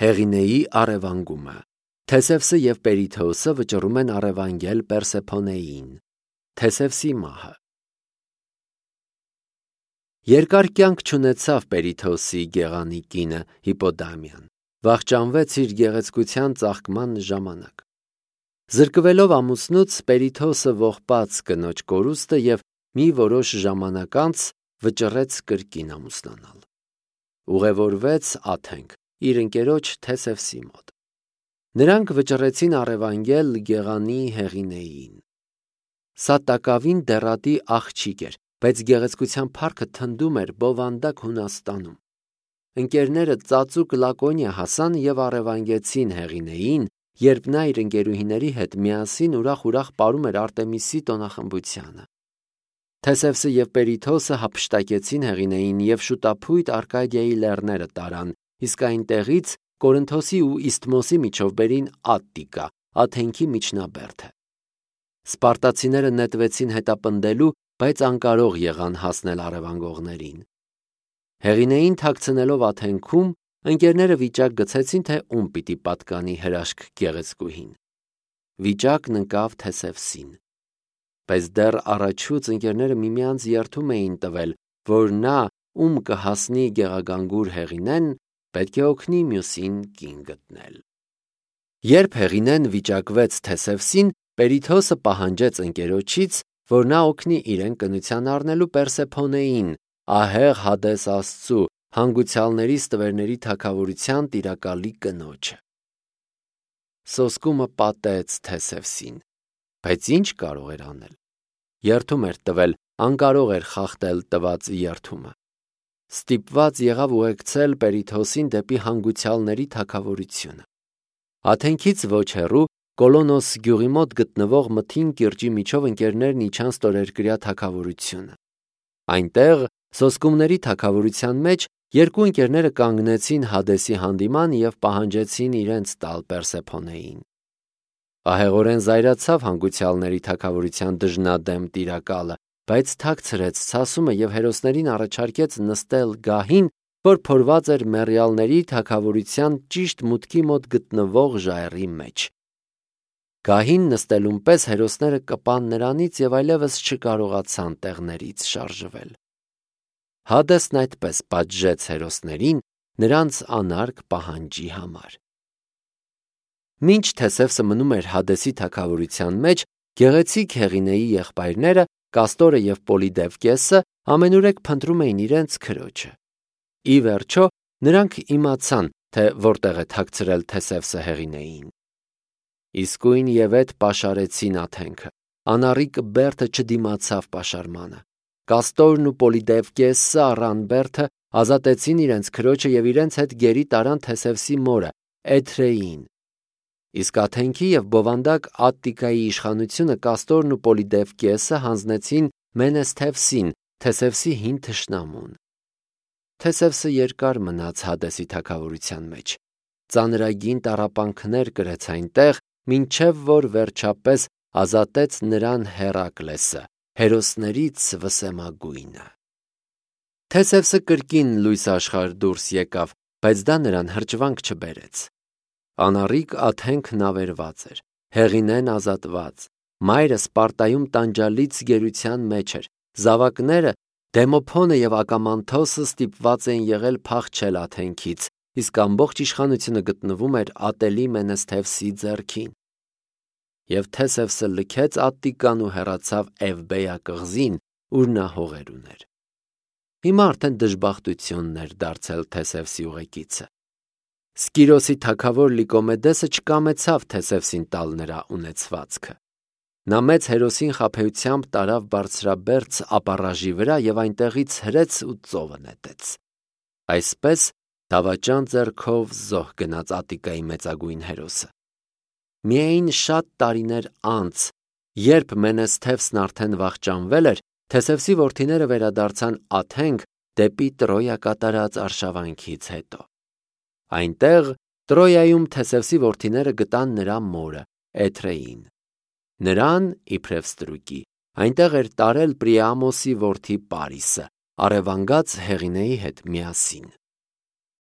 Հեղինեի առևանգումը։ Թեսևսը և Պերիթոոսը վճռում են առևանգել Պերսեփոնեին։ Թեսևսի մահը։ Երկար կյանք չունեցավ Պերիթոոսի գեղանի կինը Հիպոդամիան, վախճանվեց իր գեղեցկության ծաղկման ժամանակ։ Զրկվելով ամուսնուց, Պերիթոոսը ողբաց կնոջ կորուստը և մի որոշ ժամանակ անց վճռեց կրկին ամուսնանալ։ Ուղևորվեց Աթենք իր ընկերոջ Թեսևսի մոտ։ Նրանք վճռեցին առևանգել գեղանի Հեղինեին։ Սա տակավին դեռատի աղջիկ էր, բայց գեղեցկության փառքը թնդում էր բովանդակ Հունաստանում։ Ընկերները ծածուկ Լակոնիա հասան և առևանգեցին Հեղինեին, երբ նա իր ընկերուհիների հետ միասին ուրախ պարում էր Արտեմիսի տոնախմբությանը։ Թեսևսը և Պերիթոոսը հափշտակեցին Հեղինեին և շուտափույթ Արկադիայի լեռները տարան, իսկ այնտեղից Կորինթոսի ու Իսթմոսի միջով բերին Ատտիկա, Աթենքի միջնաբերդը։ Սպարտացիները նետվեցին հետապնդելու, բայց անկարող եղան հասնել առևանգողներին։ Հեղինեին թաքցնելով Աթենքում, ընկերները վիճակ գցեցին, թե ում պիտի պատկանի հրաշք գեղեցկուհին։ Վիճակն ընկավ Թեսևսին։ Բայց դեռ առաջուց ընկերները միմյանց երդում էին տվել, որ նա, ում կհասնի գեղագանգուր Հեղինեն, պետք է օգնի մյուսին կին գտնել։ Երբ Հեղինեն վիճակվեց Թեսևսին, Պերիթոոսը պահանջեց ընկերոջից, որ նա օգնի իրեն կնության առնելու Պերսեփոնեին, ահեղ Հադես Աստծու, հանգուցյալների ստվերների թագավորության տիրակալի կնոջը։ Սոսկումը պատեց Թեսևսին, բայց ինչ կարող էր անել։ Երդում էր տվել, անկարող էր խախտել տված երդումը։ Ստիպված եղավ ուղեկցել Պերիթոոսին դեպի հանգուցյալների թագավորությունը։ Աթենքից ոչ հեռու Կոլոնոս գյուղի մոտ գտնվող Մթին կիրճի միջով ընկերներն իջան ստորերկրյա թագավորությունը։ Այնտեղ սոսկումների թագավորության մեջ երկու ընկերները կանգնեցին Հադեսի հանդիման և պահանջեցին իրենց տալ Պերսեփոնեին։ Ահեղորեն զայրացավ հանգուցյալների թագավորության դժնադեմ տիրակալը, բայց թաքցրեց ցասումը և հերոսներին առաջարկեց նստել գահին, որ փորված էր մեռյալների թագավորության ճիշտ մուտքի մոտ գտնվող ժայռի մեջ։ Գահին նստելուն պես հերոսները կպան նրանից և այլևս չկարողացան տեղներից շարժվել։ Հադեսն այդպես պատժեց հերոսներին նրանց անարգ պահանջի համար։ Մինչ Թեսևսը մնում էր Հադեսի թագավորության մեջ, գեղեցիկ Հեղինեի եղբայրները Կաստորը և Պոլիդևկեսը ամենուրեք փնտրում էին իրենց քրոջը։ Ի վերջո նրանք իմացան, թե որտեղ է թաքցրել Թեսևսը Հեղինեին։ Իսկույն և էդ պաշարեցին Աթենքը։ Անառիկ Բերդը չդիմացավ պաշարմանը։ Կաստորն ու Պոլիդևկեսը առան բերդը, ազատեցին իրենց քրոջը և իրենց հետ գերի տարան Թեսևսի մորը Էթրեին։ Իսկ Աթենքի և բովանդակ Ատտիկայի իշխանությունը Կաստորն ու Պոլիդևկեսը հանձնեցին Մենեսթևսին, Թեսևսի հին թշնամուն։ Թեսևսը երկար մնաց Հադեսի թագավորության մեջ։ Ծանրագին տառապանքներ կրեց այնտեղ, մինչև որ վերջապես ազատեց նրան Հերակլեսը, հերոսներից վսեմագույնը։ Թեսևսը կրկին լույս աշխարհ դուրս եկավ, բայց դա նրան հրճվանք չբերեց։ Անառիկ Աթենքն ավերված էր, Հեղինեն ազատված, մայրը Սպարտայում տանջալից գերության մեջ էր, զավակները Դեմոփոնը և Ակամանթոսը ստիպված էին եղել փախչել Աթենքից, իսկ ամբողջ իշխանությունը գտնվում էր ատելի Մենեսթևսի ձեռքին։ Եվ Թեսևսը լքեց Ատտիկան ու հեռացավ Էվբեյա կղզին, ուր նա հողեր ուներ։ Հիմա արդեն դժբախտությունն էր դարձել Թեսևսի ուղեկիցը։ Սկիրոսի թագավոր Լիկոմեդեսը չկամեցավ Թեսևսին տալ նրա ունեցվածքը։ Նա մեծ հերոսին խաբեությամբ տարավ բարձրաբերձ ապառաժի վրա և այնտեղից հրեց ու ծովը նետեց։ Այսպես դավաճան ձեռքով զոհ գնաց Ատտիկայի մեծագույն հերոսը։ Միայն շատ տարիներ անց, երբ Մենեսթևսն արդեն վախճանվել էր, Թեսևսի որդիները վերադարձան Աթենք դեպի Տրոյա կատարած արշավանքից հետո։ Այնտեղ Տրոյայում Թեսևսի որդիները գտան նրա մորը Էթրեին։ Նրան, իբրև ստրուկի, այնտեղ էր տարել Պրիամոսի որդի Պարիսը, առևանգած Հեղինեի հետ միասին։